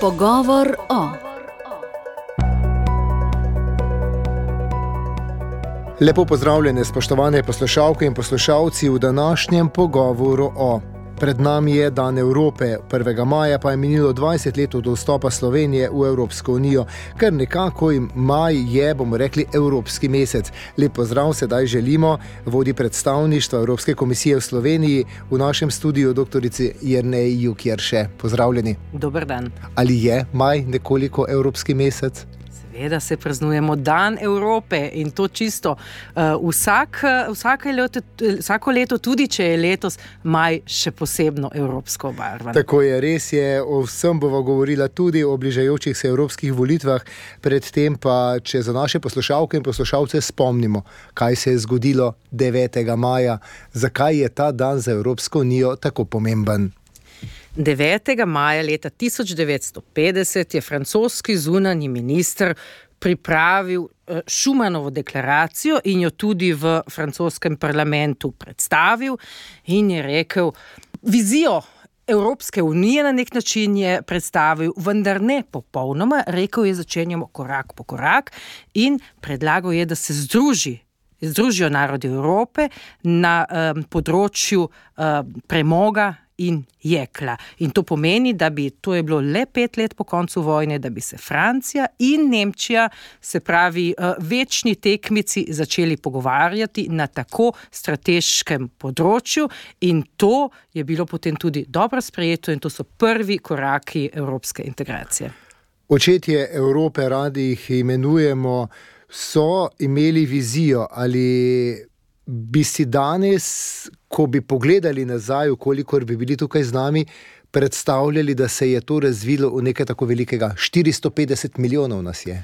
Pogovor o. Lepo pozdravljene, spoštovane poslušalke in poslušalci v današnjem pogovoru o. Pred nami je Dan Evrope, 1. maja pa je minilo 20 let od vstopa Slovenije v Evropsko unijo, ker nekako maj je, bomo rekli, Evropski mesec. Lep pozdrav sedaj želimo vodi predstavništva Evropske komisije v Sloveniji v našem studiu doktorici Jerneji Jukjerše. Pozdravljeni. Dober dan. Ali je maj nekoliko Evropski mesec? Seveda se praznujemo Dan Evrope in to čisto vsako leto, tudi če je letos maj še posebno evropsko obarvan. Tako je, res je, o vsem bova govorila tudi o bližajočih se evropskih volitvah, predtem pa, če za naše poslušalke in poslušalce spomnimo, kaj se je zgodilo 9. maja, zakaj je ta dan za Evropsko unijo tako pomemben. 9. maja leta 1950 je francoski zunanji minister pripravil Schumanovo deklaracijo in jo tudi v francoskem parlamentu predstavil in je rekel, vizijo Evropske unije na nek način je predstavil, vendar ne popolnoma, rekel je, začenjamo korak po korak in predlagal je, da se združijo narodi Evrope na področju premoga in jekla. In to pomeni, da bi, to je bilo le 5 let po koncu vojne, da bi se Francija in Nemčija, se pravi večni tekmici, začeli pogovarjati na tako strateškem področju in to je bilo potem tudi dobro sprejeto in to so prvi koraki evropske integracije. Očetje Evrope, radi jih imenujemo, so imeli vizijo ali bi si danes, ko bi pogledali nazaj, kolikor bi bili tukaj z nami, predstavljali, da se je to razvilo v nekaj tako velikega? 450 milijonov nas je.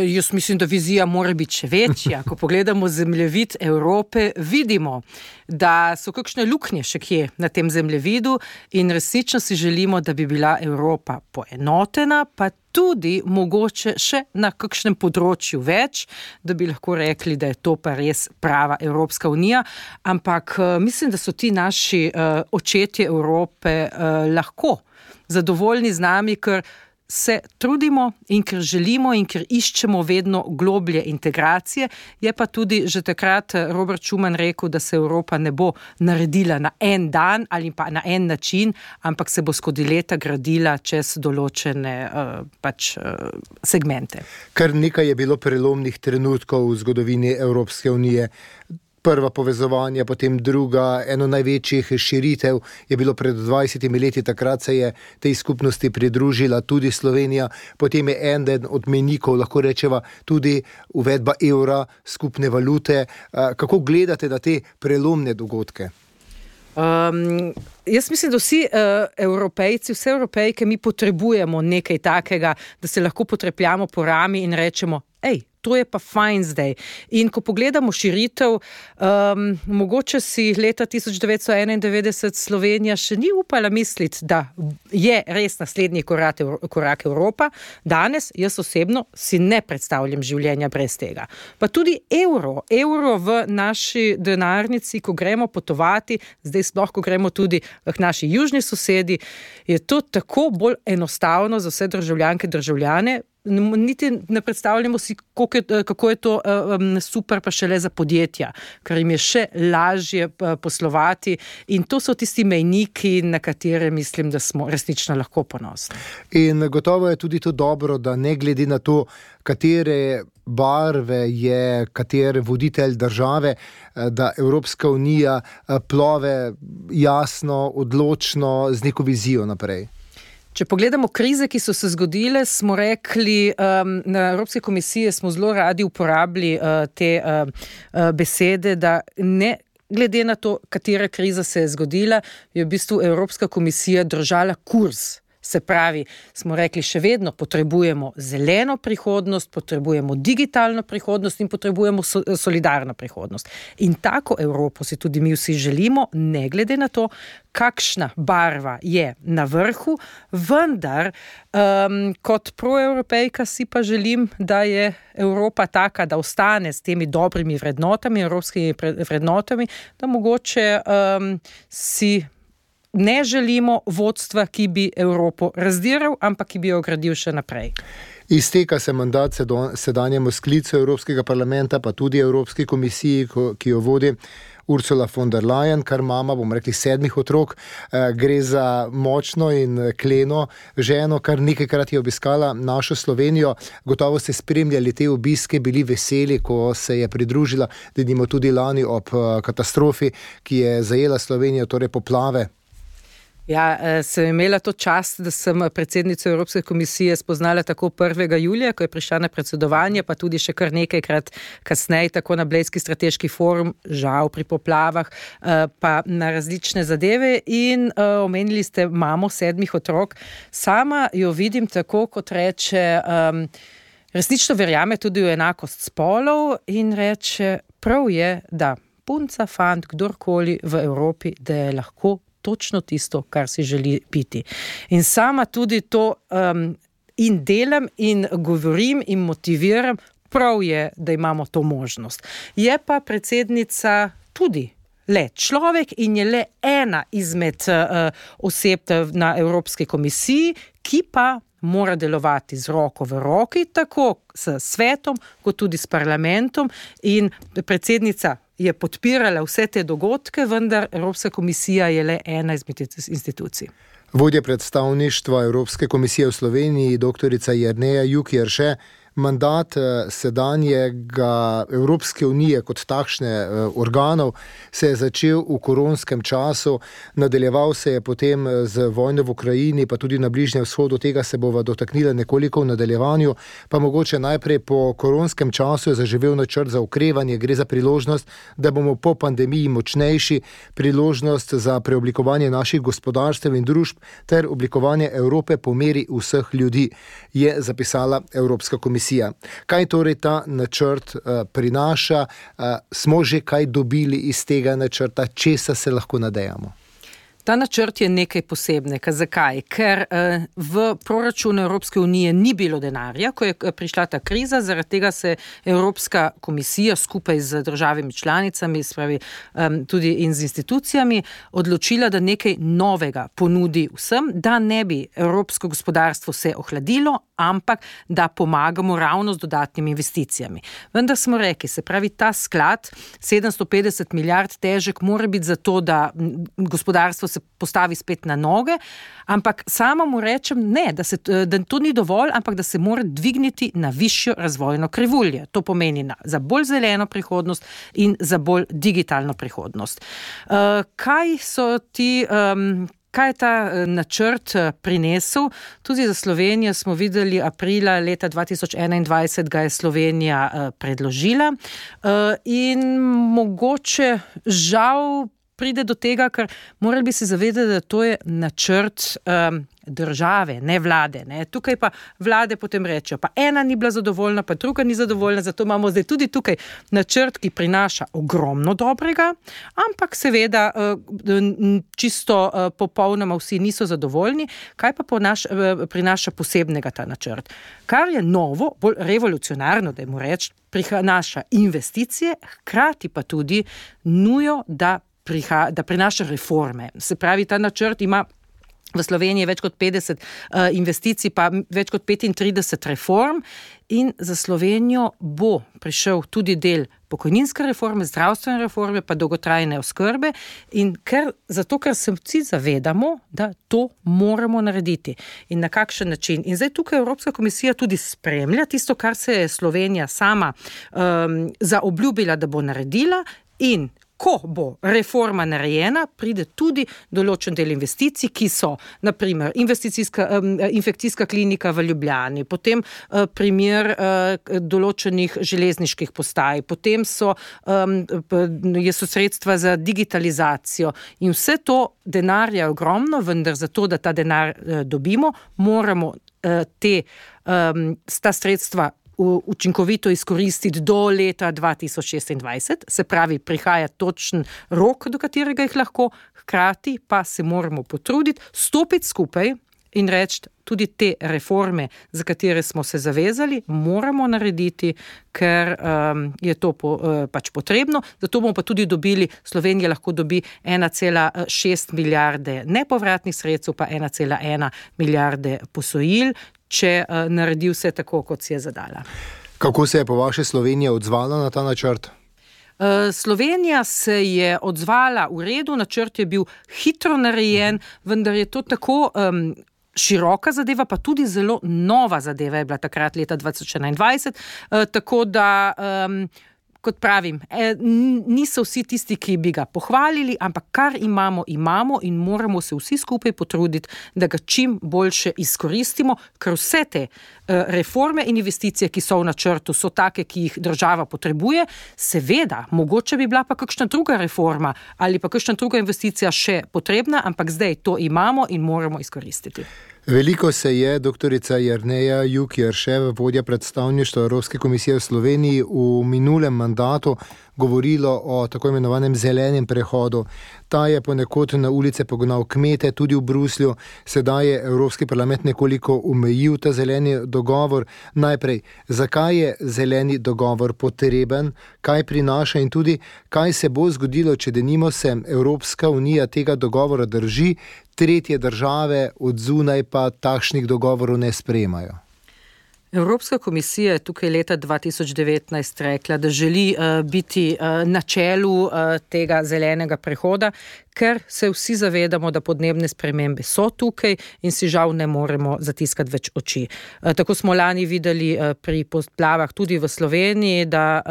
Jaz mislim, da vizija mora biti še večja. Ko pogledamo zemljevid Evrope, vidimo, da so kakšne luknje še kje na tem zemljevidu in resnično si želimo, da bi bila Evropa poenotena, pa tudi mogoče še na kakšnem področju več, da bi lahko rekli, da je to pa res prava Evropska unija. Ampak mislim, da so ti naši očetje Evrope lahko zadovoljni z nami, ker se trudimo in ker želimo in ker iščemo vedno globlje integracije. Je pa tudi že takrat Robert Schuman rekel, da se Evropa ne bo naredila na en dan ali pa na en način, ampak se bo skozi leta gradila čez določene segmente. Kar nekaj je bilo prelomnih trenutkov v zgodovini Evropske unije. Prva povezovanja, potem druga, eno največjih širitev je bilo pred 20 leti, takrat se je tej skupnosti pridružila tudi Slovenija, potem je eden od mejnikov, lahko rečeva, tudi uvedba evra, skupne valute. Kako gledate na te prelomne dogodke? Jaz mislim, da vsi Evropejci, vse Evropejke, mi potrebujemo nekaj takega, da se lahko potrepljamo po rami in rečemo, to je pa fajn zdaj. In ko pogledamo širitev, mogoče si leta 1991 Slovenija še ni upala misliti, da je res naslednji korak Evropa. Danes, jaz osebno, si ne predstavljam življenja brez tega. Pa tudi evro v naši denarnici, ko gremo potovati, zdaj sploh, ko gremo tudi k naši južni sosedi, je to tako bolj enostavno za vse državljanke, državljane, niti ne predstavljamo si, kako je to super pa šele za podjetja, ker jim je še lažje poslovati in to so tisti mejniki, na katere mislim, da smo resnično lahko ponosni. In gotovo je tudi to dobro, da ne glede na to, katere barve je katere voditelj države, da Evropska unija plove jasno, odločno, z neko vizijo naprej. Če pogledamo krize, ki so se zgodile, smo rekli, na Evropske komisije smo zelo radi uporabili te besede, da ne glede na to, katera kriza se je zgodila, je v bistvu Evropska komisija držala kurs. Se pravi, smo rekli, še vedno potrebujemo zeleno prihodnost, potrebujemo digitalno prihodnost in potrebujemo solidarno prihodnost. In tako Evropo si tudi mi vsi želimo, ne glede na to, kakšna barva je na vrhu, vendar kot proevropejka si pa želim, da je Evropa taka, da ostane s temi dobrimi vrednotami, evropskimi vrednotami, da mogoče si ne želimo vodstva, ki bi Evropo razdiral, ampak ki bi jo gradil še naprej. Izteka se mandat sedanjemu sklicu Evropskega parlamenta, pa tudi Evropski komisiji, ki jo vodi Ursula von der Leyen, kar mama, bomo rekli, 7 otrok. Gre za močno in kleno ženo, kar nekajkrat je obiskala našo Slovenijo. Gotovo ste spremljali te obiske, bili veseli, ko se je pridružila, denimo tudi lani ob katastrofi, ki je zajela Slovenijo, torej poplave. Ja, sem imela to čast, da sem predsednico Evropske komisije spoznala tako 1. julija, ko je prišla na predsedovanje, pa tudi še kar nekajkrat kasneje, tako na Blejski strateški forum, žal pri poplavah, pa na različne zadeve in omenili ste mamo 7 otrok. Sama jo vidim tako, kot reče, resnično verjame tudi v enakost spolov in reče, prav je, da punca, fant, kdorkoli v Evropi, da je lahko točno tisto, kar si želi biti. In sama tudi to in delam in govorim in motiviram, prav je, da imamo to možnost. Je pa predsednica tudi le človek in je le ena izmed oseb na Evropski komisiji, ki pa mora delovati z roko v roki, tako s svetom, kot tudi s parlamentom in predsednica je podpirala vse te dogodke, vendar Evropska komisija je le ena izmed institucij. Vodja predstavništva Evropske komisije v Sloveniji, doktorica Jerneja Juk-Jerše, mandat sedanjega Evropske unije kot takšne organov se je začel v koronskem času, nadaljeval se je potem z vojno v Ukrajini, pa tudi na Bližnjem vzhodu, tega se bova dotaknila nekoliko v nadaljevanju, pa mogoče najprej po koronskem času je zaživel načrt za okrevanje, gre za priložnost, da bomo po pandemiji močnejši, priložnost za preoblikovanje naših gospodarstev in družb ter oblikovanje Evrope po meri vseh ljudi, je zapisala Evropska komisija. Kaj torej ta načrt prinaša? Smo že kaj dobili iz tega načrta? Česa se lahko nadejamo? Ta načrt je nekaj posebnega. Zakaj? Ker v proračunu Evropske unije ni bilo denarja, ko je prišla ta kriza, zaradi tega se Evropska komisija skupaj z državami članicami, spravi tudi in z institucijami, odločila, da nekaj novega ponudi vsem, da ne bi evropsko gospodarstvo se ohladilo, ampak da pomagamo ravno z dodatnimi investicijami. Vendar smo rekli, se pravi, ta sklad 750 milijard težek mora biti zato, da gospodarstvo se postavi spet na noge, ampak sama mu rečem ne, da to ni dovolj, ampak da se mora dvigniti na višjo razvojno krivuljo. To pomeni za bolj zeleno prihodnost in za bolj digitalno prihodnost. Kaj je ta načrt prinesel? Tudi za Slovenijo smo videli aprila leta 2021, ga je Slovenija predložila in mogoče žal pride do tega, ker morali bi se zavedati, da to je načrt države, ne vlade. Ne. Tukaj pa vlade potem rečejo, pa ena ni bila zadovoljna, pa druga ni zadovoljna, zato imamo zdaj tudi tukaj načrt, ki prinaša ogromno dobrega, ampak seveda čisto popolnoma vsi niso zadovoljni. Kaj pa prinaša posebnega ta načrt? Kar je novo, bolj revolucionarno, da mu reč, prinaša investicije, hkrati pa tudi nujo, da prinaša reforme. Se pravi, ta načrt ima v Sloveniji več kot 50 investicij, pa več kot 35 reform in za Slovenijo bo prišel tudi del pokojninske reforme, zdravstvene reforme, pa dolgotrajne oskrbe in zato, ker se vsi zavedamo, da to moramo narediti in na kakšen način. In zdaj tukaj Evropska komisija tudi spremlja tisto, kar se je Slovenija sama zaobljubila, da bo naredila in ko bo reforma narejena, pride tudi določen del investicij, ki so, naprimer, infekcijska klinika v Ljubljani, potem primer določenih železniških postaj, potem so sredstva za digitalizacijo in vse to denarja je ogromno, vendar zato, da ta denar dobimo, moramo ta sredstva učinkovito izkoristiti do leta 2026, se pravi, prihaja točen rok, do katerega jih lahko, hkrati pa se moramo potruditi, stopiti skupaj in reči, tudi te reforme, za katere smo se zavezali, moramo narediti, ker je to pač potrebno. Zato bomo pa tudi dobili, Slovenija lahko dobi 1,6 milijarde nepovratnih sredstev, pa 1,1 milijarde posojil, če naredi vse tako, kot si je zadala. Kako se je po vaše Slovenija odzvala na ta načrt? Slovenija se je odzvala v redu, načrt je bil hitro narejen, vendar je to tako široka zadeva, pa tudi zelo nova zadeva je bila takrat leta 2021, tako da, kot pravim, niso vsi tisti, ki bi ga pohvalili, ampak kar imamo in moramo se vsi skupaj potruditi, da ga čim boljše izkoristimo, ker vse te reforme in investicije, ki so v načrtu, so take, ki jih država potrebuje. Seveda, mogoče bi bila pa kakšna druga reforma ali pa kakšna druga investicija še potrebna, ampak zdaj to imamo in moramo izkoristiti. Veliko se je doktorica Jerneja Juk-Jerševa, vodja predstavništva Evropske komisije v Sloveniji, v minulem mandatu govorilo o tako imenovanem zelenem prehodu. Ta je ponekod na ulice pognal kmete, tudi v Bruslju. Sedaj je Evropski parlament nekoliko omejil ta zeleni dogovor. Najprej, zakaj je zeleni dogovor potreben, kaj prinaša in tudi, kaj se bo zgodilo, če denimo se Evropska unija tega dogovora drži, tretje države od zunaj pa takšnih dogovorov ne sprejemajo. Evropska komisija je tukaj leta 2019 rekla, da želi biti na čelu tega zelenega prehoda, ker se vsi zavedamo, da podnebne spremembe so tukaj in si žal ne moremo zatiskati več oči. Tako smo lani videli pri poplavah tudi v Sloveniji, da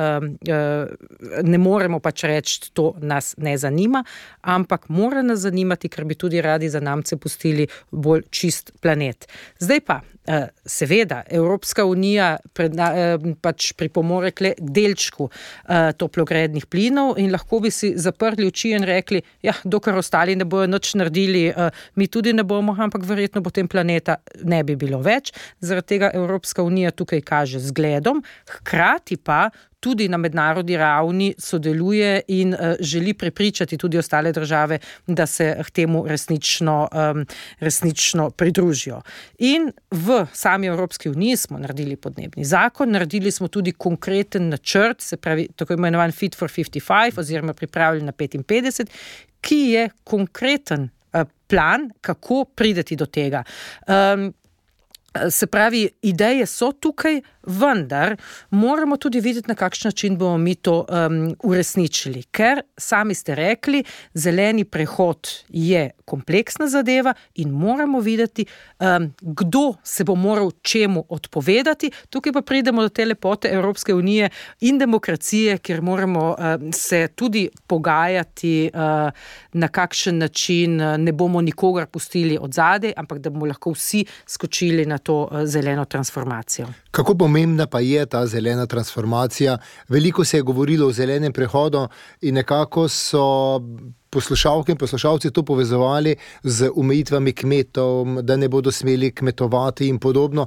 ne moremo pač reči, to nas ne zanima, ampak mora nas zanimati, ker bi tudi radi zanamce pustili bolj čist planet. Zdaj pa, seveda, Evropska unija pač pripomore k delčku toplogrednih plinov in lahko bi si zaprli oči in rekli, ja, dokler ostali ne bojo nič naredili, mi tudi ne bomo, ampak verjetno potem planeta ne bi bilo več. Zaradi tega Evropska unija tukaj kaže zgledom, hkrati pa tudi na mednarodni ravni sodeluje in želi prepričati tudi ostale države, da se k temu resnično pridružijo. In v sami Evropski uniji smo naredili podnebni zakon, naredili smo tudi konkreten načrt, se pravi tako imenovan Fit for 55 oziroma pripravljen na 55, ki je konkreten plan, kako prideti do tega. Se pravi, ideje so tukaj, vendar moramo tudi videti, na kakšen način bomo mi to uresničili. Ker, sami ste rekli, zeleni prehod je kompleksna zadeva in moramo videti, kdo se bo moral čemu odpovedati. Tukaj pa pridemo do te lepote Evropske unije in demokracije, kjer moramo se tudi pogajati, na kakšen način ne bomo nikogar pustili od zadaj, ampak da bomo lahko vsi skočili na to zeleno transformacijo. Kako pomembna pa je ta zelena transformacija? Veliko se je govorilo o zelenem prehodu in nekako so poslušalke in poslušalci to povezovali z omejitvami kmetov, da ne bodo smeli kmetovati in podobno,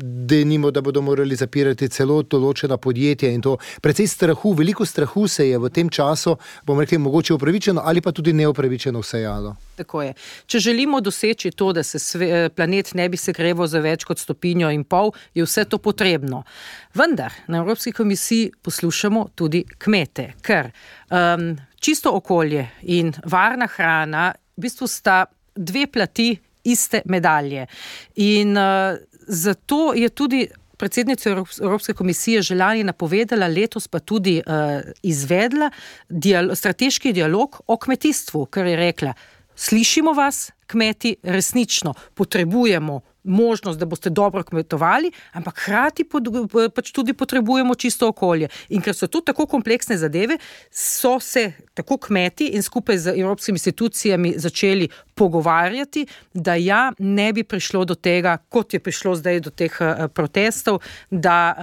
denimo, da bodo morali zapirati celo določena podjetja in to. Precej strahu, veliko strahu se je v tem času, bomo rekli, mogoče upravičeno ali pa tudi neupravičeno vsejalo. Tako je. Če želimo doseči to, da se planet ne bi segreval za več kot 1,5 stopinje, je vse to potrebno. Vendar na Evropski komisiji poslušamo tudi kmete, ker čisto okolje in varna hrana v bistvu sta dve plati iste medalje. In zato je tudi predsednica Evropske komisije že lani napovedala, letos pa tudi izvedla strateški dialog o kmetijstvu, ker je rekla, slišimo vas, kmeti, resnično potrebujemo možnost, da boste dobro kmetovali, ampak hkrati pač tudi potrebujemo čisto okolje. In ker so to tako kompleksne zadeve, so se tako kmeti in skupaj z evropskimi institucijami začeli pogovarjati, da ne bi prišlo do tega, kot je prišlo zdaj do teh protestov, da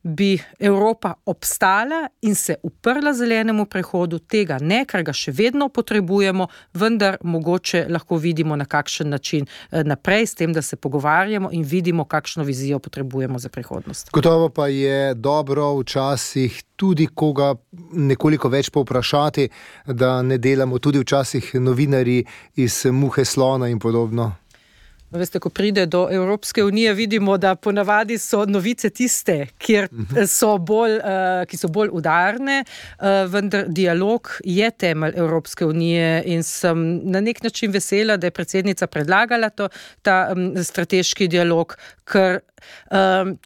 bi Evropa obstala in se uprla zelenemu prehodu, tega ne, ker ga še vedno potrebujemo, vendar mogoče lahko vidimo na kakšen način naprej, s tem, da se pogovarjamo in vidimo, kakšno vizijo potrebujemo za prihodnost. Gotovo pa je dobro včasih tudi koga nekoliko več povprašati, da ne delamo tudi včasih novinarji iz muhe slona in podobno. Veste, ko pride do Evropske unije, vidimo, da ponavadi so novice tiste, ki so bolj udarne, vendar dialog je temelj Evropske unije in sem na nek način vesela, da je predsednica predlagala ta strateški dialog, ker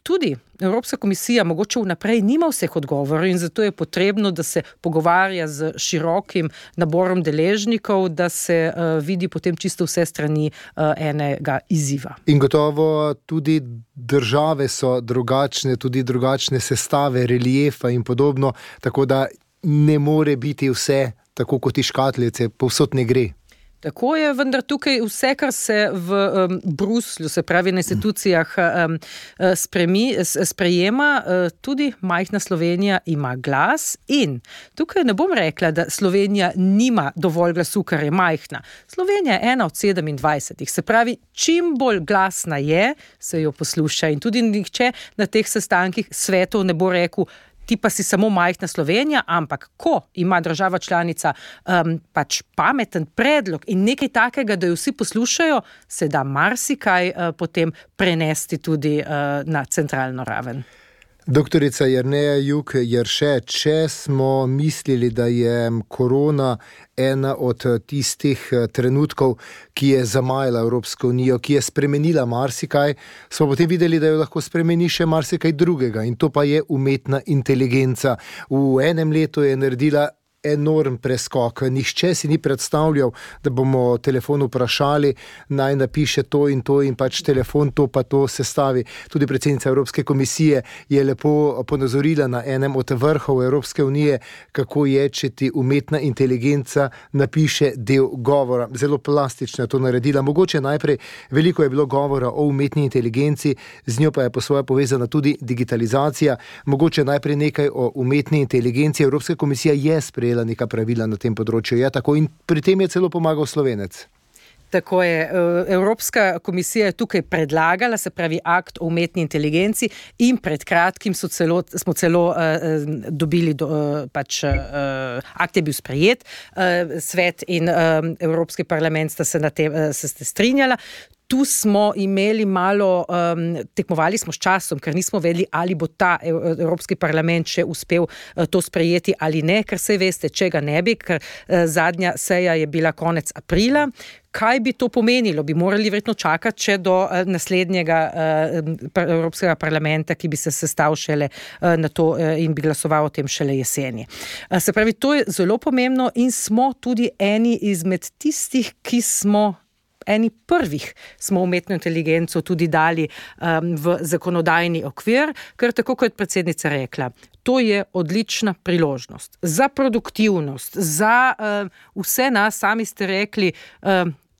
tudi Evropska komisija mogoče vnaprej nima vseh odgovorov in zato je potrebno, da se pogovarja z širokim naborom deležnikov, da se vidi potem čisto vse strani enega izziva. In gotovo tudi države so drugačne, tudi drugačne sestave, reliefa in podobno, tako da ne more biti vse tako kot iz škatlice, povsod ne gre. Tako je, vendar tukaj vse, kar se v Bruslju, se pravi na institucijah, sprejema, tudi majhna Slovenija ima glas in tukaj ne bom rekla, da Slovenija nima dovolj glasu, ker je majhna. Slovenija je ena od 27, se pravi, čim bolj glasna je, se jo posluša in tudi nihče na teh sestankih svetov ne bo rekel, ti pa si samo majhna Slovenija, ampak ko ima država članica pač pameten predlog in nekaj takega, da jo vsi poslušajo, se da marsikaj potem prenesti tudi na centralno raven. Doktorica Jerneja Juk Jerše, če smo mislili, da je korona ena od tistih trenutkov, ki je zamajala Evropsko unijo, ki je spremenila marsikaj, smo potem videli, da jo lahko spremeni še marsikaj drugega in to pa je umetna inteligenca. V enem letu je naredila enorm preskok. Nihče si ni predstavljal, da bomo telefon vprašali, naj napiše to in pač telefon to pa to sestavi. Tudi predsednica Evropske komisije je lepo ponazorila na enem od vrhov Evropske unije, kako je, če ti umetna inteligenca napiše del govora. Zelo plastično je to naredila. Mogoče najprej veliko je bilo govora o umetni inteligenci, z njo pa je po svoje povezana tudi digitalizacija. Mogoče najprej nekaj o umetni inteligenci. Evropska komisija je sprejela neka pravila na tem področju. Ja, tako in pri tem je celo pomagal Slovenec. Tako je. Evropska komisija je tukaj predlagala, se pravi akt o umetni inteligenci in pred kratkim smo celo dobili, akt je bil sprejet, svet in Evropski parlament sta se strinjala. Tu smo imeli malo, tekmovali smo s časom, ker nismo vedeli, ali bo ta Evropski parlament še uspel to sprejeti ali ne, ker se veste, če ga ne bi, ker zadnja seja je bila konec aprila. Kaj bi to pomenilo? Bi morali verjetno čakati, če do naslednjega Evropskega parlamenta, ki bi se sestal šele na to in bi glasoval o tem šele jeseni. Se pravi, to je zelo pomembno in smo tudi eni izmed tistih, ki smo eni prvih smo umetno inteligenco tudi dali v zakonodajni okvir, ker tako kot predsednica rekla, to je odlična priložnost za produktivnost, za vse nas, sami ste rekli,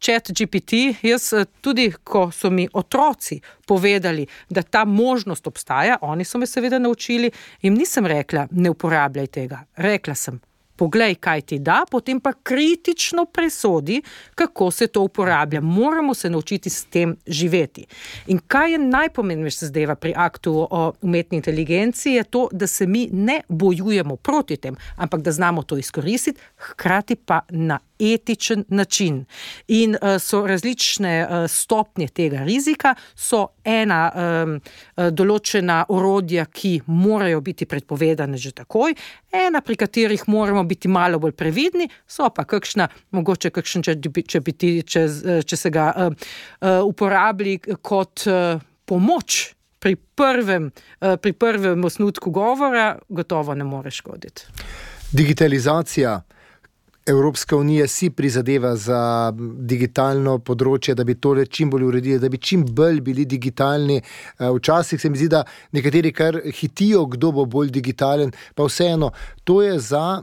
ChatGPT, jaz tudi, ko so mi otroci povedali, da ta možnost obstaja, oni so me seveda naučili, jim nisem rekla, ne uporabljaj tega, rekla sem, poglej, kaj ti da, potem pa kritično presodi, kako se to uporablja. Moramo se naučiti s tem živeti. In kaj je najpomembnejše zdaj pri aktu o umetni inteligenci, je to, da se mi ne bojujemo proti tem, ampak da znamo to izkoristiti, hkrati pa na etičen način. In so različne stopnje tega rizika, so ena določena orodja, ki morajo biti predpovedane že takoj, ena, pri katerih moramo biti malo bolj previdni, so pa mogoče kakšen če se ga uporabi kot pomoč pri prvem osnutku govora, gotovo ne more škoditi. Digitalizacija. Evropska unija si prizadeva za digitalno področje, da bi tole čim bolj uredili, da bi čim bolj bili digitalni. Včasih se mi zdi, da nekateri kar hitijo, kdo bo bolj digitalen, pa vseeno, to je za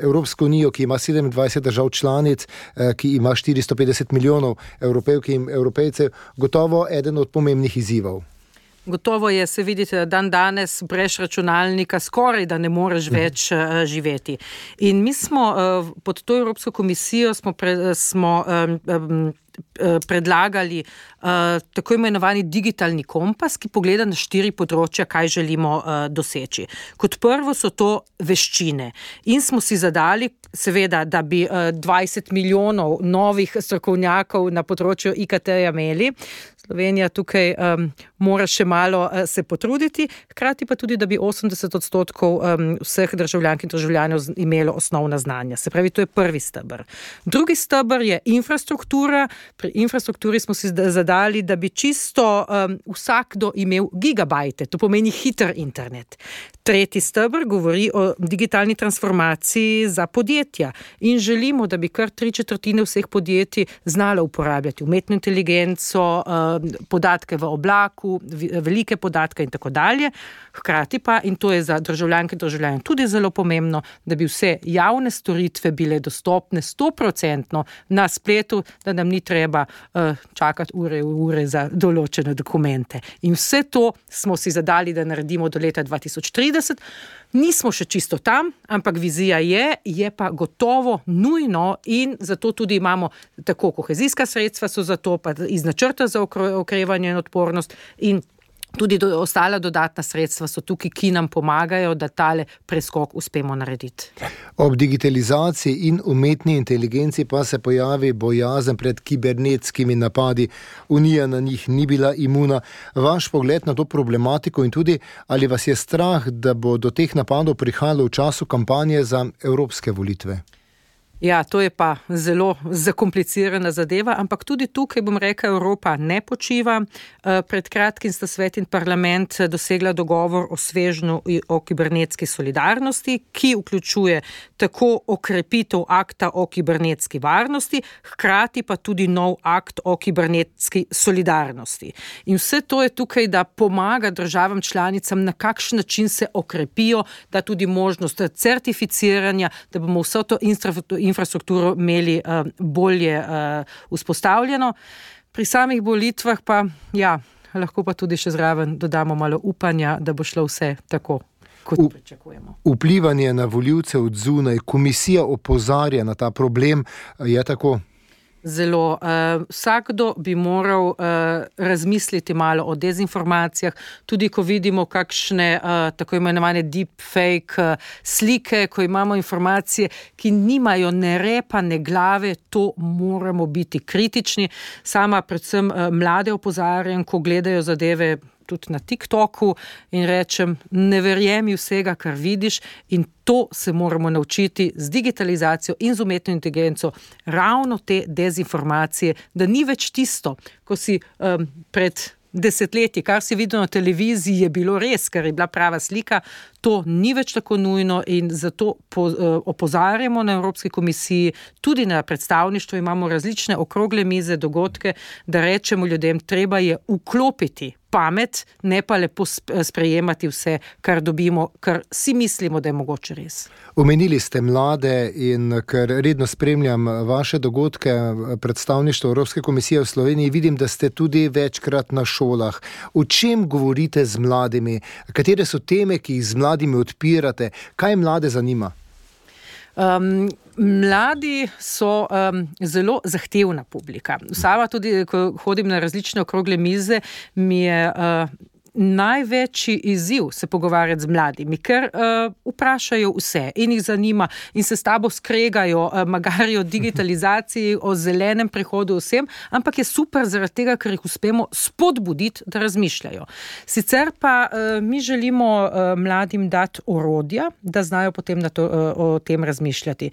Evropsko unijo, ki ima 27 držav članic, ki ima 450 milijonov Evropejk in Evropejcev, gotovo eden od pomembnih izzivov. Gotovo je, se vidite, da danes brez računalnika skoraj da ne moreš več živeti. In mi smo pod to Evropsko komisijo smo predlagali tako imenovani digitalni kompas, ki pogleda na 4 področja, kaj želimo doseči. Kot prvo so to veščine in smo si zadali, seveda, da bi 20 milijonov novih strokovnjakov na področju IKT-ja imeli. Slovenija tukaj mora še malo se potruditi, hkrati pa tudi, da bi 80% vseh državljank in državljanov imelo osnovna znanja. Se pravi, to je prvi steber. Drugi steber je infrastruktura. Pri infrastrukturi smo si zadali, da bi čisto vsakdo imel gigabajte, to pomeni hiter internet. Tretji steber govori o digitalni transformaciji za podjetja in želimo, da bi kar 3/4 vseh podjetij znalo uporabljati umetno inteligenco, podatke v oblaku, velike podatke in tako dalje. Hkrati pa, in to je za državljanke in državljane tudi zelo pomembno, da bi vse javne storitve bile dostopne 100% na spletu, da nam ni treba čakati ure za določene dokumente. In vse to smo si zadali, da naredimo do leta 2030. Nismo še čisto tam, ampak vizija je pa gotovo nujno in zato tudi imamo tako kohezijska sredstva so za to, pa iz načrta za okrevanje in odpornost in tudi ostala dodatna sredstva so tukaj, ki nam pomagajo, da tale preskok uspemo narediti. Ob digitalizaciji in umetni inteligenci pa se pojavi bojazen pred kibernetskimi napadi. Unija na njih ni bila imuna. Vaš pogled na to problematiko in tudi, ali vas je strah, da bo do teh napadov prihajalo v času kampanje za evropske volitve? Ja, to je pa zelo zakomplicirana zadeva, ampak tudi tukaj bom rekla, Evropa ne počiva. Pred kratkim sta svet in parlament dosegla dogovor o svežnju o kibernetski solidarnosti, ki vključuje tako okrepitev akta o kibernetski varnosti, hkrati pa tudi nov akt o kibernetski solidarnosti. In vse to je tukaj, da pomaga državam članicam, na kakšen način se okrepijo, da tudi možnost certificiranja, da bomo vso to infrastrukturo imeli bolje vzpostavljeno. Pri samih volitvah pa, ja, lahko pa tudi še zraven dodamo malo upanja, da bo šlo vse tako, kot pričakujemo. Vplivanje na volivce od zunaj, komisija opozarja na ta problem, je tako? Zelo. Vsakdo bi moral razmisliti malo o dezinformacijah, tudi ko vidimo kakšne tako imenovane deepfake slike, ko imamo informacije, ki nimajo ne repa, ne glave, to moramo biti kritični. Sama predvsem mlade opozarjam, ko gledajo zadeve tudi na TikToku in rečem, ne verjemi vsega, kar vidiš in to se moramo naučiti z digitalizacijo in z umetno inteligenco, ravno te dezinformacije, da ni več tisto, ko si pred desetletji, kar si videl na televiziji, je bilo res, ker je bila prava slika, to ni več tako nujno in zato opozarjamo na Evropski komisiji, tudi na predstavništvu imamo različne okrogle mize, dogodke, da rečemo ljudem, treba je vklopiti pamet, ne pa lepo sprejemati vse, kar dobimo, kar si mislimo, da je mogoče res. Omenili ste mlade in ker redno spremljam vaše dogodke, predstavništvo Evropske komisije v Sloveniji, vidim, da ste tudi večkrat na šolah. O čem govorite z mladimi? Katere so teme, ki jih z mladimi odpirate? Kaj mlade zanima? Mladi so zelo zahtevna publika. Sama tudi, ko hodim na različne okrogle mize, mi je največji izziv se pogovarjati z mladimi, ker vprašajo vse in jih zanima in se s tabo skregajo, magari o digitalizaciji, o zelenem prehodu vsem, ampak je super zaradi tega, ker jih uspemo spodbuditi, da razmišljajo. Sicer pa mi želimo mladim dati orodja, da znajo potem o tem razmišljati.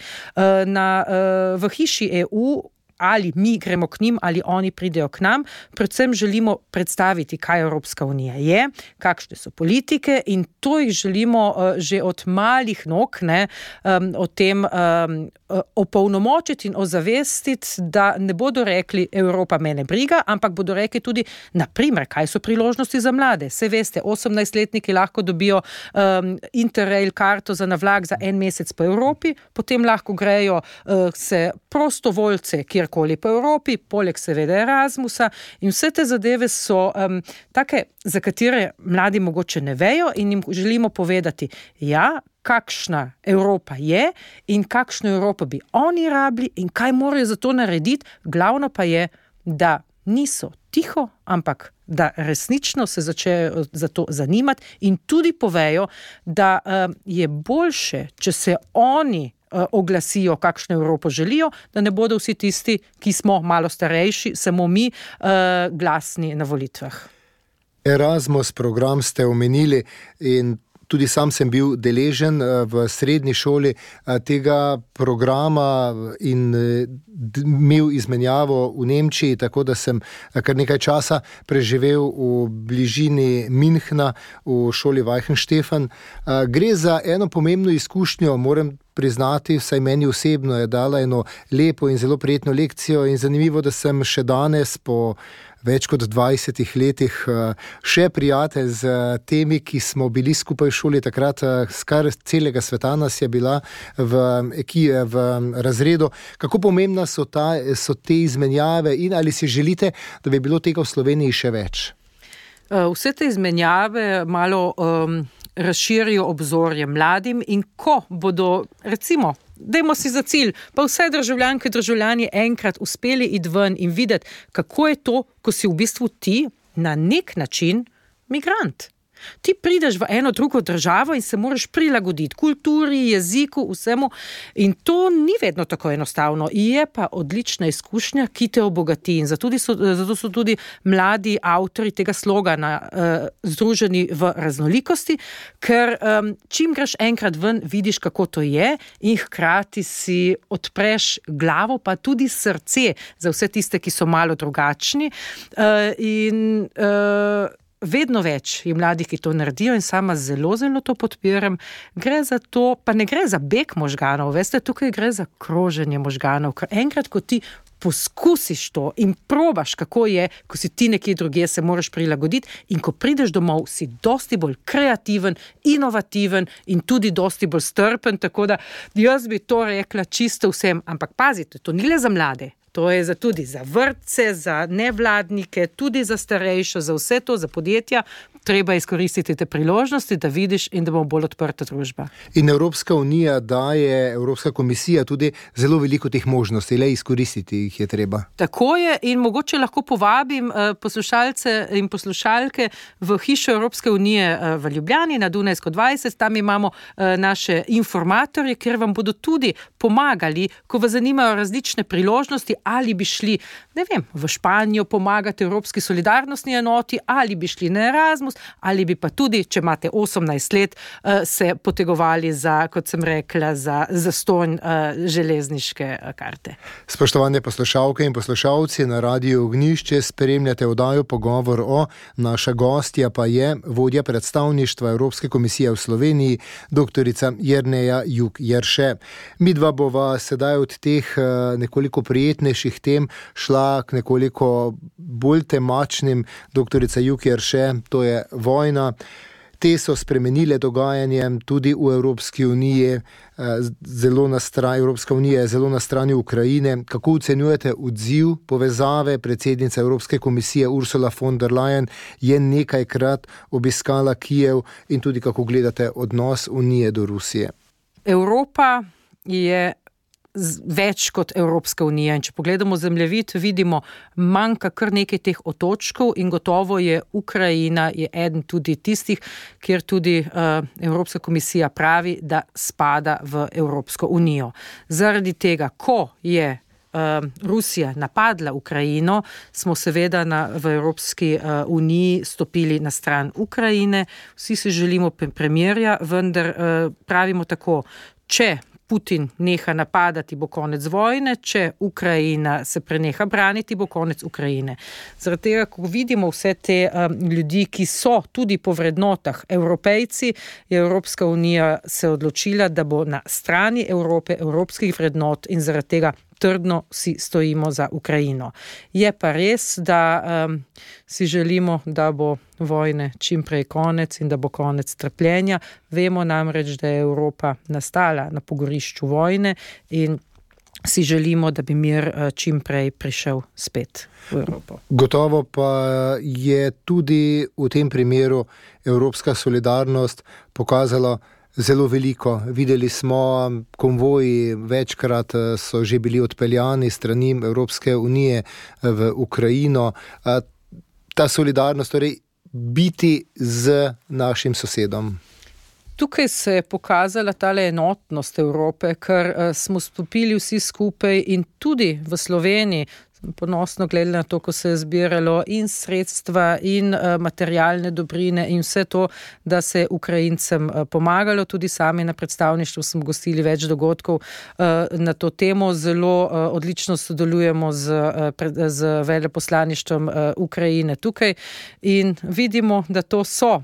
V hiši EU ali mi gremo k njim, ali oni pridejo k nam. Predvsem želimo predstaviti, kaj Evropska unija je, kakšne so politike in to jih želimo že od malih nog o tem opolnomočiti in ozavestiti, da ne bodo rekli, Evropa me ne briga, ampak bodo rekli tudi, naprimer, kaj so priložnosti za mlade. Saj veste, 18-letniki lahko dobijo Interrail karto za na vlak za 1 mesec po Evropi, potem lahko grejo se prostovoljce, kjerkoli po Evropi, poleg seveda Erasmusa in vse te zadeve so take, za katere mladi mogoče ne vejo in jim želimo povedati, ja, kakšna Evropa je in kakšno Evropo bi oni rabili in kaj morajo za to narediti, glavno pa je da niso tiho, ampak da resnično se začnejo za to zanimati in tudi povejo, da je boljše, če se oni oglasijo, kakšno Evropo želijo, da ne bodo vsi tisti, ki smo malo starejši, samo mi glasni na volitvah. Erasmus program ste omenili in tudi sam sem bil deležen v srednji šoli tega programa in imel izmenjavo v Nemčiji, tako da sem kar nekaj časa preživel v bližini Münchna v šoli Weichenstephan. Gre za eno pomembno izkušnjo, moram priznati, vsaj meni osebno je dala eno lepo in zelo prijetno lekcijo in zanimivo, da sem še danes po več kot 20 letih še prijatelj z temi, ki smo bili skupaj v šoli takrat, skar celega sveta nas je bila v razredu. Kako pomembna so te izmenjave in ali si želite, da bi bilo tega v Sloveniji še več? Vse te izmenjave malo razširijo obzorje mladim in ko bodo, recimo, dajmo si za cilj, pa vse državljanke in državljani enkrat uspeli iti ven in videti, kako je to, ko si v bistvu ti na nek način migrant. Ti prideš v eno drugo državo in se moraš prilagoditi kulturi, jeziku, vsemu in to ni vedno tako enostavno. Je pa odlična izkušnja, ki te obogati in zato so tudi mladi avtori tega slogana združeni v raznolikosti, ker čim greš enkrat ven, vidiš, kako to je in hkrati si odpreš glavo, pa tudi srce za vse tiste, ki so malo drugačni vedno več je mladih, ki to naredijo in sama zelo, zelo to podpiram. Gre za to, pa ne gre za beg možganov, veste, tukaj gre za kroženje možganov, ker enkrat, ko ti poskusiš to in probaš, kako je, ko si ti nekje drugje, se moraš prilagoditi in ko prideš domov, si dosti bolj kreativen, inovativen in tudi dosti bolj strpen, tako da jaz bi to rekla čisto vsem, ampak pazite, to ni le za mlade. To je tudi za vrtce, za nevladnike, tudi za starejše, za vse to, za podjetja. Treba izkoristiti te priložnosti, da vidiš in da bo bolj odprta družba. In Evropska unija daje, Evropska komisija tudi zelo veliko teh možnosti, le izkoristiti jih je treba. Tako je in mogoče lahko povabim poslušalce in poslušalke v hišo Evropske unije v Ljubljani na Dunajsko 20. Tam imamo naše informatorje, kjer vam bodo tudi pomagali, ko vas zanimajo različne priložnosti, ali bi šli, ne vem, v Španijo pomagati Evropski solidarnostni enoti, ali bi šli na Erasmus, ali bi pa tudi, če imate 18 let, se potegovali za, kot sem rekla, za zastonj železniške karte. Spoštovane poslušalke in poslušalci, na Radiu Ognjišče spremljate oddajo Pogovor o. Naša gostja pa je vodja predstavništva Evropske komisije v Sloveniji, doktorica Jerneja Juk Jerše. Midva bova sedaj od teh nekoliko prijetnejših tem šla k nekoliko bolj temačnim. Doktorica Juk Jerše, to je vojna. Te so spremenile dogajanje tudi v Evropski uniji. Evropska unija je zelo na strani Ukrajine. Kako ocenjujete odziv povezave? Predsednica Evropske komisije Ursula von der Leyen je nekajkrat obiskala Kijev in tudi kako gledate odnos Unije do Rusije? Evropa je več kot Evropska unija in če pogledamo zemljevid, vidimo, manjka kar nekaj teh otočkov in gotovo je Ukrajina je eden tudi tistih, kjer tudi Evropska komisija pravi, da spada v Evropsko unijo. Zaradi tega, ko je Rusija napadla Ukrajino, smo seveda v Evropski uniji stopili na stran Ukrajine. Vsi si želimo premirja, vendar pravimo tako, če Putin neha napadati, bo konec vojne, če Ukrajina se preneha braniti, bo konec Ukrajine. Zaradi tega, ko vidimo vse te ljudi, ki so tudi po vrednotah Evropejci, je Evropska unija se odločila, da bo na strani Evrope, evropskih vrednot in zaradi tega trdno si stojimo za Ukrajino. Je pa res, da si želimo, da bo vojne čim prej konec in da bo konec trpljenja. Vemo namreč, da je Evropa nastala na pogorišču vojne in si želimo, da bi mir čim prej prišel spet v Evropo. Gotovo pa je tudi v tem primeru evropska solidarnost pokazala Zelo veliko. Videli smo konvoji, večkrat so že bili odpeljani strani Evropske unije v Ukrajino. Ta solidarnost, torej biti z našim sosedom. Tukaj se je pokazala tale enotnost Evrope, ker smo stopili vsi skupaj in tudi v Sloveniji, ponosno gledali na to, ko se je zbiralo in sredstva in materialne dobrine in vse to, da se je Ukrajincem pomagalo. Tudi sami na predstavništvu smo gostili več dogodkov na to temo. Zelo odlično sodelujemo z veleposlaništvom Ukrajine tukaj in vidimo, da to so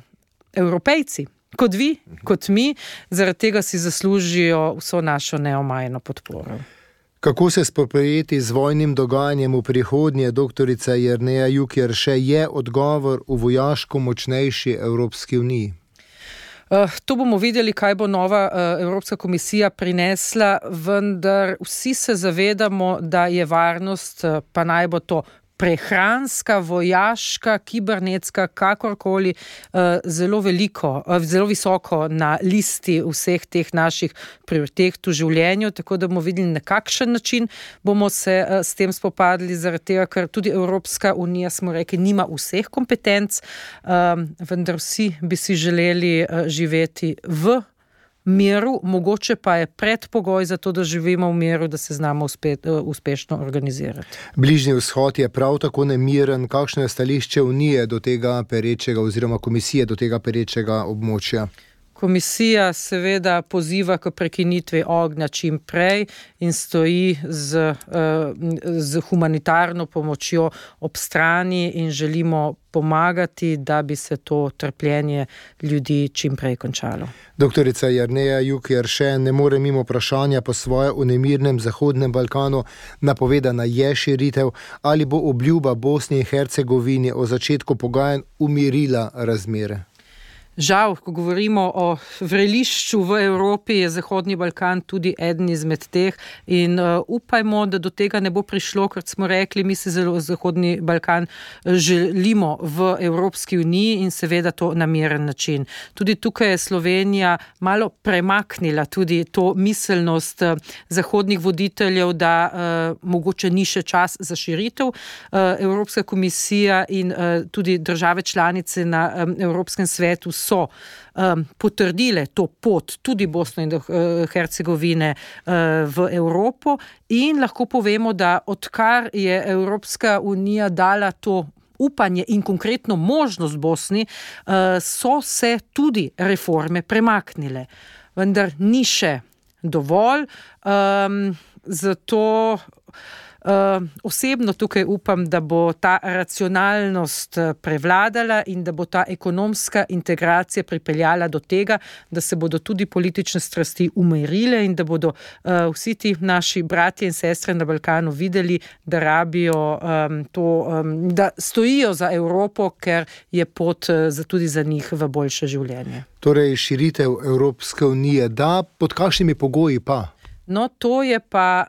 Evropejci, kot vi, kot mi, zaradi tega si zaslužijo vso našo neomajno podporo. Kako se spoprijeti z vojnim dogajanjem v prihodnje, doktorica Jerneja Juk-Jerše, je odgovor v vojaško močnejši Evropski uniji? To bomo videli, kaj bo nova Evropska komisija prinesla, vendar vsi se zavedamo, da je varnost, pa naj bo to prehranska, vojaška, kibernetska, kakorkoli, zelo visoko na listi vseh teh naših prioritet v življenju, tako da bomo videli, na kakšen način bomo se s tem spopadli, zaradi tega, ker tudi Evropska unija, smo rekli, nima vseh kompetenc, vendar vsi bi si želeli živeti v miru, mogoče pa je predpogoj za to, da živimo v miru, da se znamo uspešno organizirati. Bližnji vzhod je prav tako nemiren. Kakšno je stališče Unije do tega perečega oziroma komisije do tega perečega območja? Komisija seveda poziva k prekinitvi ognja čim prej in stoji z humanitarno pomočjo ob strani in želimo pomagati, da bi se to trpljenje ljudi čim prej končalo. Doktorica Jerneja Juk-Jerše, ne more mimo vprašanja po svoje o nemirnem Zahodnem Balkanu. Napovedana je širitev. Ali bo obljuba Bosni in Hercegovini o začetku pogajanj umirila razmere? Žal, ko govorimo o vrelišču v Evropi, je Zahodni Balkan tudi eden izmed teh in upajmo, da do tega ne bo prišlo, ker smo rekli, mi se Zahodni Balkan želimo v Evropski uniji in seveda to na miren način. Tudi tukaj je Slovenija malo premaknila tudi to miselnost zahodnih voditeljev, da mogoče ni še čas za širitev. Evropska komisija in tudi države članice na Evropskem svetu so potrdile to pot tudi Bosne in Hercegovine v Evropo in lahko povemo, da odkar je Evropska unija dala to upanje in konkretno možnost Bosni, so se tudi reforme premaknile. Vendar ni še dovolj, zato osebno tukaj upam, da bo ta racionalnost prevladala in da bo ta ekonomska integracija pripeljala do tega, da se bodo tudi politične strasti umirile in da bodo vsi ti naši bratje in sestre na Balkanu videli, da rabijo da stojijo za Evropo, ker je pot tudi za njih v boljše življenje. Torej širitev Evropske unije, da, pod kakšnimi pogoji pa? No, to je pa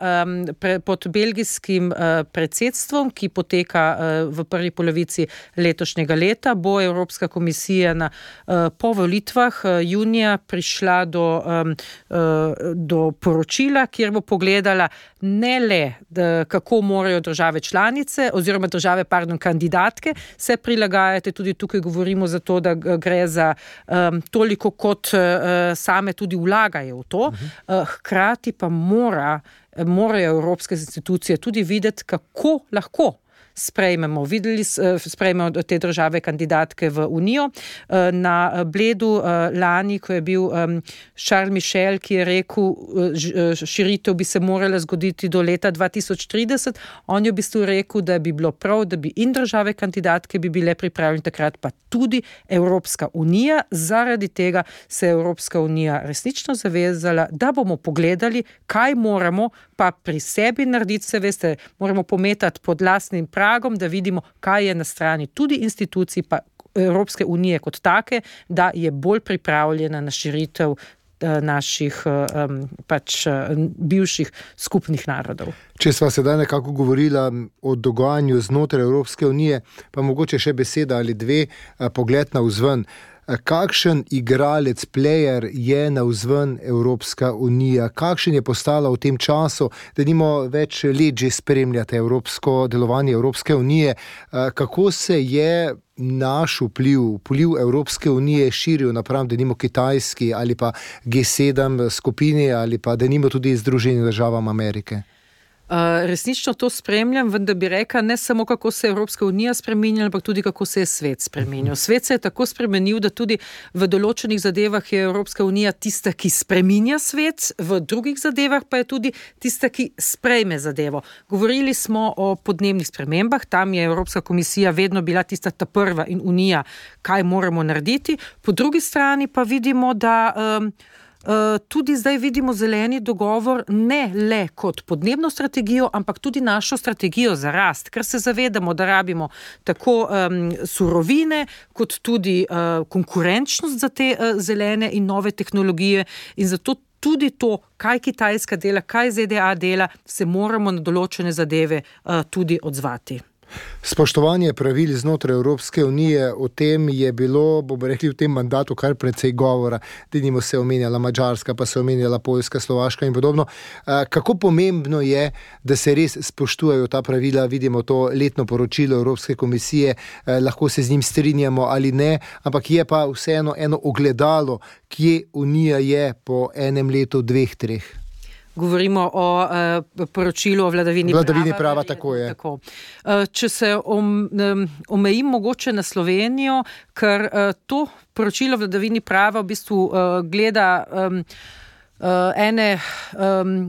pod belgijskim predsedstvom, ki poteka v prvi polovici letošnjega leta, bo Evropska komisija po volitvah junija prišla do poročila, kjer bo pogledala ne le, kako morajo države članice oziroma kandidatke se prilagajati, tudi tukaj govorimo za to, da gre za toliko, kot same tudi vlagajo v to, hkrati pa morajo evropske institucije tudi videti, kako lahko sprejmemo te države kandidatke v Unijo. Na Bledu lani, ko je bil Charles Michel, ki je rekel, širitev bi se morala zgoditi do leta 2030, on je v bistvu rekel, da bi bilo prav, da bi in države kandidatke bi bile pripravljene takrat, pa tudi Evropska unija. Zaradi tega se je Evropska unija resnično zavezala, da bomo pogledali, kaj moramo pa pri sebi narediti, se veste, moramo pometati pod lastnim pragom, da vidimo, kaj je na strani tudi institucij, pa Evropske unije kot take, da je bolj pripravljena na širitev naših bivših skupnih narodov. Če sva sedaj nekako govorila o dogajanju znotraj Evropske unije, pa mogoče še beseda ali dve, pogled navzven. Kakšen igralec, player je navzven Evropska unija? Kakšen je postala v tem času, da nimo več let že spremljate delovanje Evropske unije? Kako se je naš vpliv Evropske unije širil napram denimo Kitajski ali pa G7 skupini ali pa denimo tudi Združenim državam Amerike? Resnično to spremljam, vendar bi rekla ne samo kako se je Evropska unija spremenila, ampak tudi kako se je svet spremenil. Svet se je tako spremenil, da tudi v določenih zadevah je Evropska unija tista, ki spreminja svet, v drugih zadevah pa je tudi tista, ki sprejme zadevo. Govorili smo o podnebnih spremembah, tam je Evropska komisija vedno bila tista ta prva in unija, kaj moramo narediti. Po drugi strani pa vidimo, da tudi zdaj vidimo zeleni dogovor ne le kot podnebno strategijo, ampak tudi našo strategijo za rast, ker se zavedamo, da rabimo tako surovine, kot tudi konkurenčnost za te zelene in nove tehnologije in zato tudi to, kaj Kitajska dela, kaj ZDA dela, se moramo na določene zadeve tudi odzvati. Spoštovanje pravil znotraj Evropske unije, o tem je bilo, bomo rekli, v tem mandatu kar precej govora. Denimo se omenjala Madžarska, pa se omenjala Poljska, Slovaška in podobno. Kako pomembno je, da se res spoštujejo ta pravila? Vidimo to letno poročilo Evropske komisije, lahko se z njim strinjamo ali ne, ampak je pa vseeno eno ogledalo, kje Unija je po enem letu, dveh, treh. Govorimo o poročilu o vladavini prava, tako je. Tako. Če se omejim mogoče na Slovenijo, ker to poročilo o vladavini prava v bistvu gleda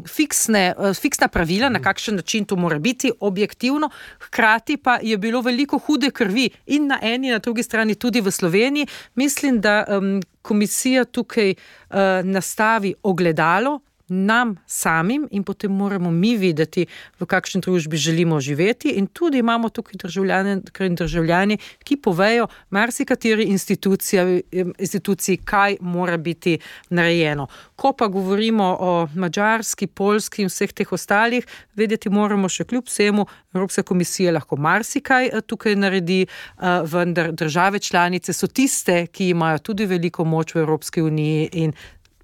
fiksna pravila, na kakšen način to mora biti objektivno, hkrati pa je bilo veliko hude krvi in na eni, na drugi strani tudi v Sloveniji. Mislim, da komisija tukaj nastavi ogledalo nam samim in potem moramo mi videti, v kakšni družbi želimo živeti in tudi imamo tukaj državljani, ki povejo marsikateri instituciji, kaj mora biti narejeno. Ko pa govorimo o Madžarski, Poljski in vseh teh ostalih, vedeti moramo še kljub vsemu, Evropska komisija lahko marsikaj tukaj naredi, vendar države članice so tiste, ki imajo tudi veliko moč v Evropski uniji in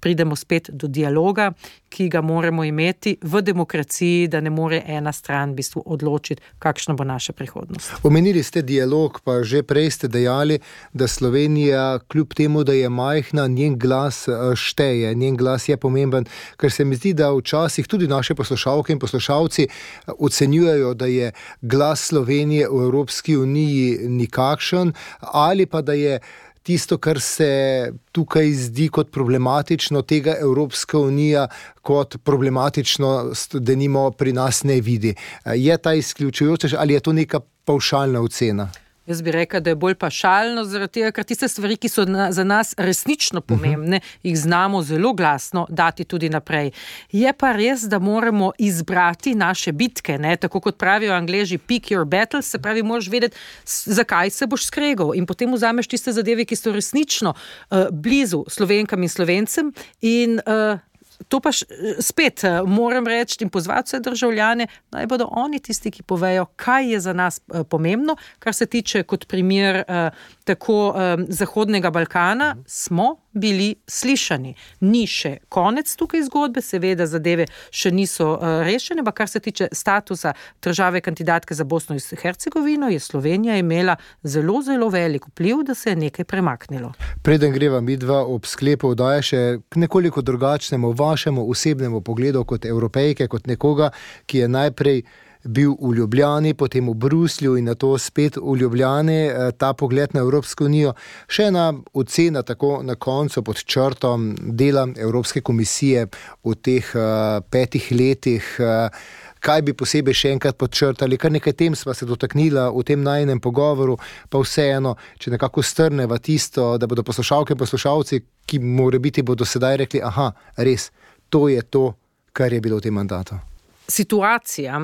pridemo spet do dialoga, ki ga moramo imeti v demokraciji, da ne more ena stran v bistvu odločiti, kakšna bo naša prihodnost. Omenili ste dialog, pa že prej ste dejali, da Slovenija, kljub temu, da je majhna, njen glas šteje, njen glas je pomemben, ker se mi zdi, da včasih tudi naše poslušalke in poslušalci ocenjujejo, da je glas Slovenije v Evropski uniji nikakšen, ali pa da je tisto, kar se tukaj zdi kot problematično, tega Evropska unija kot problematično, denimo pri nas ne vidi. Je ta izključujoča ali je to neka pavšalna ocena? Jaz bi rekla, da je bolj pašalno, zaradi tega, ker tiste stvari, ki so za nas resnično pomembne, jih znamo zelo glasno dati tudi naprej. Je pa res, da moramo izbrati naše bitke, ne? Tako kot pravijo Angleži, pick your battles, se pravi, moraš vedeti, zakaj se boš skregal in potem vzameš tiste zadeve, ki so resnično blizu Slovenkam in Slovencem in to pa spet moram reči in pozvati vse državljane, naj bodo oni tisti, ki povejo, kaj je za nas pomembno, kar se tiče kot primer tako Zahodnega Balkana, smo bili slišani. Ni še konec tukaj zgodbe, seveda zadeve še niso rešene, pa kar se tiče statusa države kandidatke za Bosno in Hercegovino, je Slovenija imela zelo, zelo velik vpliv, da se je nekaj premaknilo. Preden greva midva ob sklepu oddaje še k nekoliko drugačnemu vašemu osebnemu pogledu kot Evropejke, kot nekoga, ki je najprej bil v Ljubljani, potem v Bruslju in nato spet v Ljubljani, ta pogled na Evropsko unijo. Še ena ocena tako na koncu pod črtom dela Evropske komisije v teh 5 letih, kaj bi posebej še enkrat podčrtali, kar nekaj tem sva se dotaknila v tem najinem pogovoru, pa vseeno, če nekako strneva tisto, da bodo poslušalke in poslušalci, ki morebiti bodo sedaj rekli, aha, res, to je to, kar je bilo v tem mandatu. Situacija,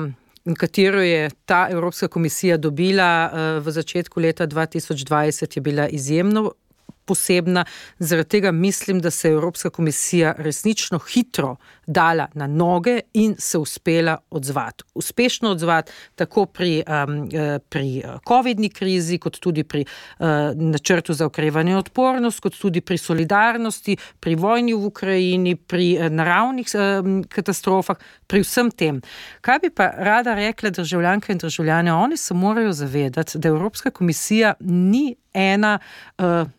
katero je ta Evropska komisija dobila v začetku leta 2020, je bila izjemno posebna. Zaradi tega mislim, da se je Evropska komisija resnično hitro dala na noge in se uspela odzvati. Uspešno odzvati tako pri covidni krizi, kot tudi pri načrtu za okrevanje in odpornost, kot tudi pri solidarnosti, pri vojni v Ukrajini, pri naravnih katastrofah, pri vsem tem. Kaj bi pa rada rekla državljanke in državljane? Oni se morajo zavedati, da Evropska komisija ni ena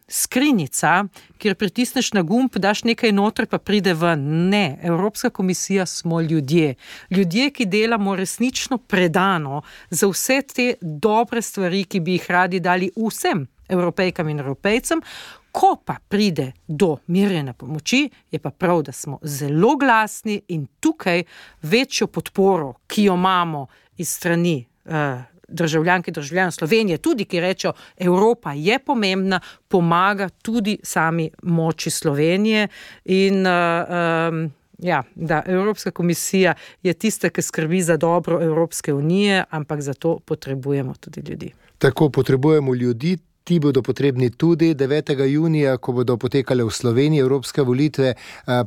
skrinjica, kjer pritisneš na gumb, daš nekaj noter, pa pride ven. Ne, Evropska komisija smo ljudje. Ljudje, ki delamo resnično predano za vse te dobre stvari, ki bi jih radi dali vsem Evropejkam in Evropejcem. Ko pa pride do merjene pomoči, je pa prav, da smo zelo glasni in tukaj večjo podporo, ki jo imamo iz strani državljanke in državljanov Slovenije, tudi ki rečejo, Evropa je pomembna, pomaga tudi sami moči Slovenije in da Evropska komisija je tista, ki skrbi za dobro Evropske unije, ampak za to potrebujemo tudi ljudi. Tako potrebujemo ljudi. Ti bodo potrebni tudi 9. junija, ko bodo potekale v Sloveniji evropske volitve.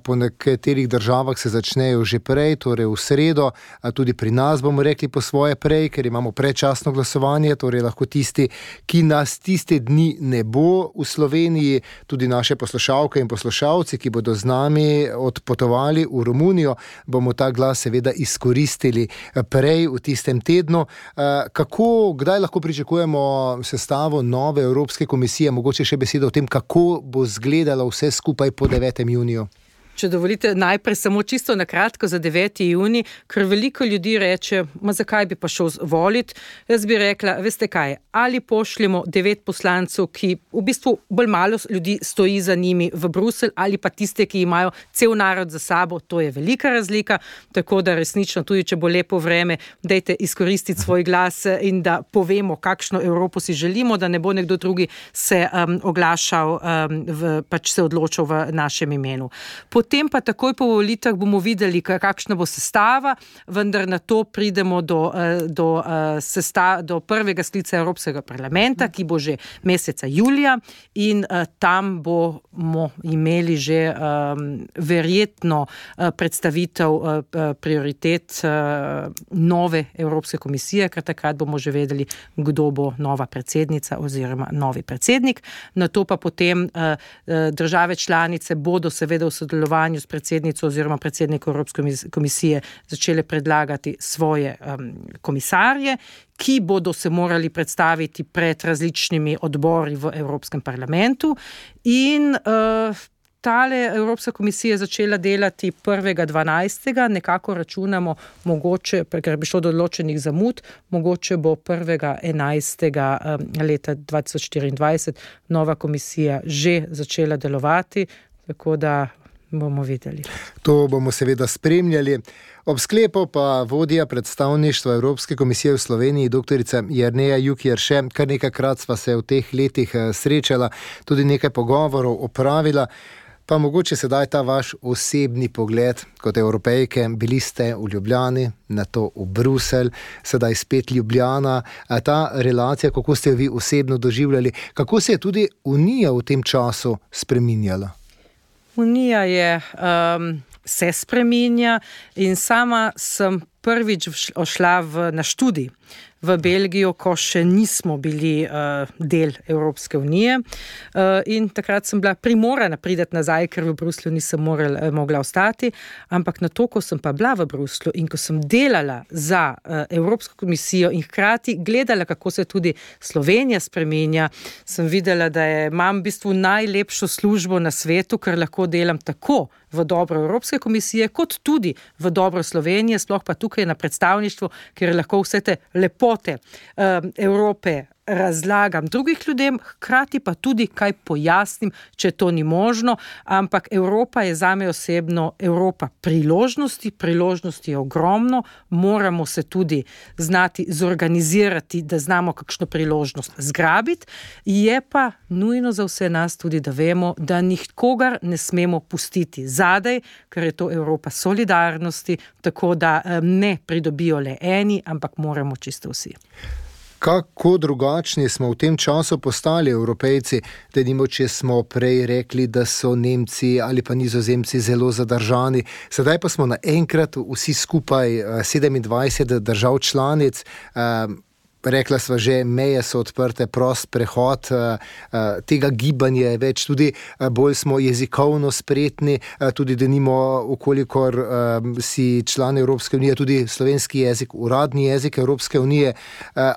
Po nekaterih državah se začnejo že prej, torej v sredo. Tudi pri nas bomo rekli po svoje prej, ker imamo predčasno glasovanje, torej lahko tisti, ki nas tiste dni ne bo v Sloveniji, tudi naše poslušalke in poslušalci, ki bodo z nami odpotovali v Romunijo, bomo ta glas seveda izkoristili prej v tistem tednu. Kdaj lahko pričakujemo sestavo nove Evropske komisije, mogoče še besedo o tem, kako bo izgledalo vse skupaj po 9. juniju? Če dovolite, najprej samo čisto na kratko za 9. junij, ker veliko ljudi reče, zakaj bi pa šel voliti? Jaz bi rekla, veste kaj, ali pošljemo 9 poslancev, ki v bistvu bolj malo ljudi stoji za njimi v Bruselj, ali pa tiste, ki imajo cel narod za sabo, to je velika razlika, tako da resnično, tudi če bo lepo vreme, dajte izkoristiti svoj glas in da povemo, kakšno Evropo si želimo, da ne bo nekdo drugi se oglašal, pač se odločil v našem imenu. Potem pa takoj po volitvah bomo videli, kakšna bo sestava, vendar na to pridemo do prvega sklica Evropskega parlamenta, ki bo že meseca julija in tam bomo imeli že verjetno predstavitev prioritet nove Evropske komisije, ker takrat bomo že vedeli, kdo bo nova predsednica oziroma novi predsednik. Na to pa potem države članice bodo seveda v sodelovanju s predsednico oziroma predsednikom Evropske komisije začele predlagati svoje komisarje, ki bodo se morali predstaviti pred različnimi odbori v Evropskem parlamentu in tale Evropska komisija je začela delati 1.12. Nekako računamo, mogoče, ker bi šlo do določenih zamud, mogoče bo 1.11. leta 2024 nova komisija že začela delovati, tako da bomo videli. To bomo seveda spremljali. Ob sklepu pa vodja predstavništva Evropske komisije v Sloveniji, doktorica Jerneja Juk-Jerše, kar nekajkrat sva se v teh letih srečala, tudi nekaj pogovorov opravila. Pa mogoče sedaj ta vaš osebni pogled kot Evropejke. Bili ste v Ljubljani, nato v Bruselj, sedaj spet Ljubljana. Ta relacija, kako ste jo vi osebno doživljali, kako se je tudi Unija v tem času spreminjala? Unija se spreminja in sama sem prvič odšla na študij v Belgijo, ko še nismo bili del Evropske unije in takrat sem bila primorana priti nazaj, ker v Bruslju nisem mogla ostati, ampak na to, ko sem pa bila v Bruslju in ko sem delala za Evropsko komisijo in hkrati gledala, kako se tudi Slovenija spreminja, sem videla, da imam v bistvu najlepšo službo na svetu, ker lahko delam tako v dobro Evropske komisije, kot tudi v dobro Slovenije, sploh pa tukaj na predstavništvu, kjer lahko vse te lepote Evrope razlagam drugih ljudem, hkrati pa tudi kaj pojasnim, če to ni možno, ampak Evropa je zame osebno Evropa priložnosti je ogromno, moramo se tudi znati zorganizirati, da znamo kakšno priložnost zgrabiti, je pa nujno za vse nas tudi, da vemo, da nikogar ne smemo pustiti zadaj, ker je to Evropa solidarnosti, tako da ne pridobijo le eni, ampak moramo čisto vsi. Kako drugačni smo v tem času postali Evropejci, denimo, če smo prej rekli, da so Nemci ali pa Nizozemci zelo zadržani, sedaj pa smo naenkrat vsi skupaj 27 držav članic. Rekla sva že, meje so odprte, prost prehod, tega gibanja je več, tudi bolj smo jezikovno spretni, tudi denimo, ukolikor si član Evropske unije, tudi slovenski jezik, uradni jezik Evropske unije.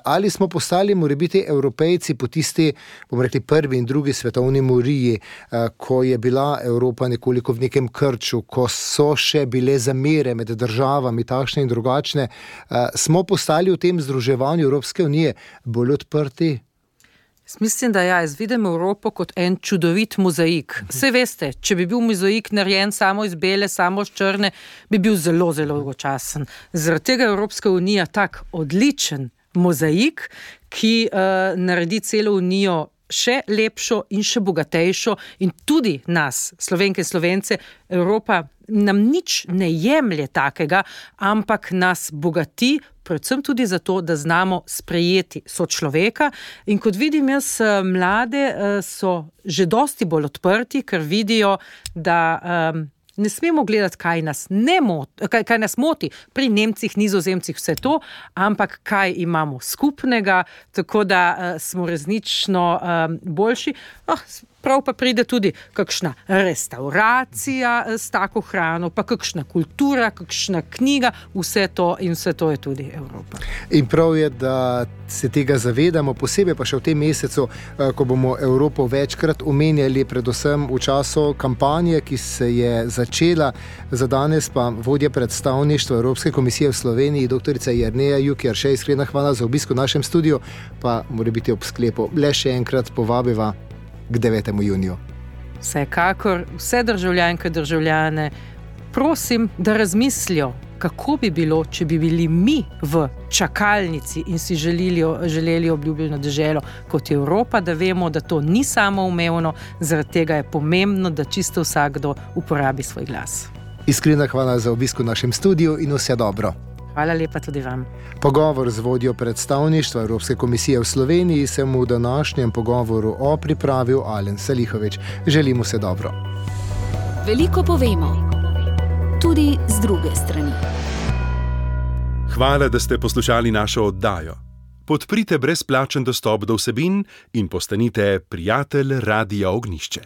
Ali smo postali morebiti Evropejci po tisti, bomo rekli, prvi in drugi svetovni moriji, ko je bila Evropa nekoliko v nekem krču, ko so še bile zamere med državami, takšne in drugačne, smo postali v tem združevanju Evropske unije bolj odprti? Mislim, da jaz vidim Evropo kot en čudovit mozaik. Vse veste, če bi bil mozaik narejen samo iz bele, samo iz črne, bi bil zelo, zelo dolgočasen. Zaradi tega je Evropska unija tak odličen mozaik, ki naredi celo unijo še lepšo in še bogatejšo in tudi nas, Slovenke in Slovence, Evropa nam nič ne jemlje takega, ampak nas bogati, predvsem tudi zato, da znamo sprejeti sočloveka. In kot vidim jaz, mlade so že dosti bolj odprti, ker vidijo, da ne smemo gledati, kaj nas moti pri Nemcih, Nizozemcih, vse to, ampak kaj imamo skupnega, tako da smo resnično boljši. Prav pa pride tudi kakšna restauracija s tako hrano, pa kakšna kultura, kakšna knjiga, vse to je tudi Evropa. In prav je, da se tega zavedamo, posebej pa še v tem mesecu, ko bomo Evropo večkrat omenjali, predvsem v času kampanje, ki se je začela. Za danes pa vodja predstavništva Evropske komisije v Sloveniji, doktorica Jerneja Jukjeršej, iskrena hvala za obisk v našem studiu, pa mora biti ob sklepu le še enkrat povabiva k 9. juniju. Vsekakor vse državljanke, državljane, prosim, da razmislijo, kako bi bilo, če bi bili mi v čakalnici in si želeli obljubljeno deželo kot je Evropa, da vemo, da to ni samoumevno, zaradi tega je pomembno, da čisto vsakdo uporabi svoj glas. Iskrena hvala za obisk v našem studiu in vse dobro. Hvala lepa tudi vam. Pogovor z vodjo predstavništva Evropske komisije v Sloveniji se mu v današnjem pogovoru pripravil Alen Salihović. Želimo se dobro. Veliko povemo, tudi z druge strani. Hvala, da ste poslušali našo oddajo. Podprite brezplačen dostop do vsebin in postanite prijatelj Radia Ognjišče.